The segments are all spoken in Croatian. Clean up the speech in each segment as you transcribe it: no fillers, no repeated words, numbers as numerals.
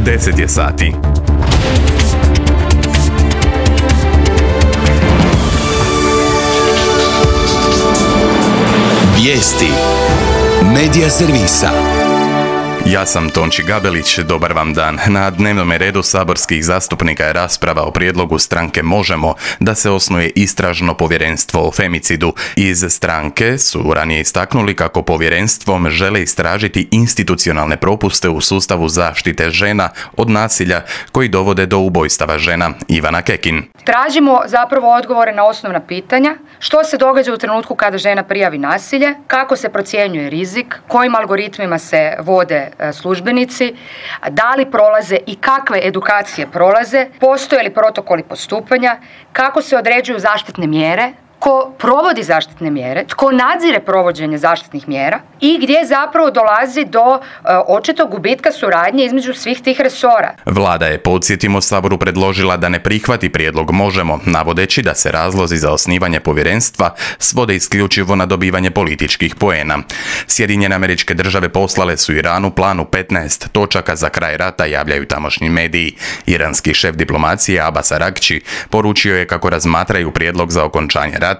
10 je sati. Vijesti Medija servisa. Ja sam Tonči Gabelić, dobar vam dan. Na dnevnom redu saborskih zastupnika je rasprava o prijedlogu stranke Možemo da se osnuje istražno povjerenstvo o femicidu. Iz stranke su ranije istaknuli kako povjerenstvom žele istražiti institucionalne propuste u sustavu zaštite žena od nasilja koji dovode do ubojstava žena. Ivana Kekin. Tražimo zapravo odgovore na osnovna pitanja. Što se događa u trenutku kada žena prijavi nasilje, kako se procjenjuje rizik, kojim algoritmima se vode službenici, da li prolaze i kakve edukacije prolaze, postoje li protokoli postupanja, kako se određuju zaštitne mjere, tko provodi zaštitne mjere, tko nadzire provođenje zaštitnih mjera i gdje zapravo dolazi do očitog gubitka suradnje između svih tih resora. Vlada je, podsjetimo, Saboru predložila da ne prihvati prijedlog Možemo, navodeći da se razlozi za osnivanje povjerenstva svode isključivo na dobivanje političkih poena. Sjedinjene Američke Države poslale su Iranu planu 15 točaka za kraj rata, javljaju tamošnji mediji. Iranski šef diplomacije Abbas Aragči poručio je kako razmatraju prijedlog za okončanje rata,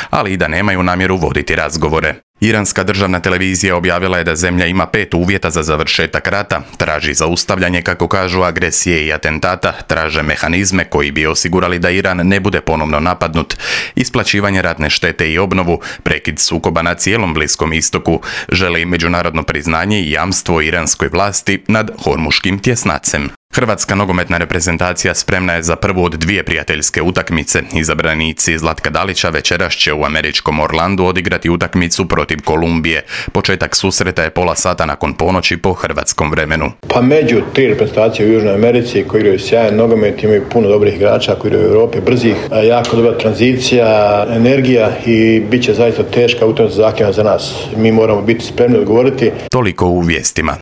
ali i da nemaju namjeru voditi razgovore. Iranska državna televizija objavila je da zemlja ima 5 uvjeta za završetak rata, traži zaustavljanje, kako kažu, agresije i atentata, traže mehanizme koji bi osigurali da Iran ne bude ponovno napadnut, isplaćivanje ratne štete i obnovu, prekid sukoba na cijelom Bliskom istoku, žele i međunarodno priznanje i jamstvo iranskoj vlasti nad Hormuškim tjesnacem. Hrvatska nogometna reprezentacija spremna je za prvu od 2 prijateljske utakmice. Izabranici Zlatka Dalića večeras će u američkom Orlandu odigrati utakmicu protiv Kolumbije. Početak susreta je pola sata nakon ponoći po hrvatskom vremenu. Pa među 3 reprezentacije u Južnoj Americi koji igraju sjajan nogomet, imaju puno dobrih igrača koji igraju u Europi, brzih, jako dobra tranzicija, energija i bit će zaista teška utakmica, zahtjevna za nas. Mi moramo biti spremni odgovoriti. Toliko u vijestima.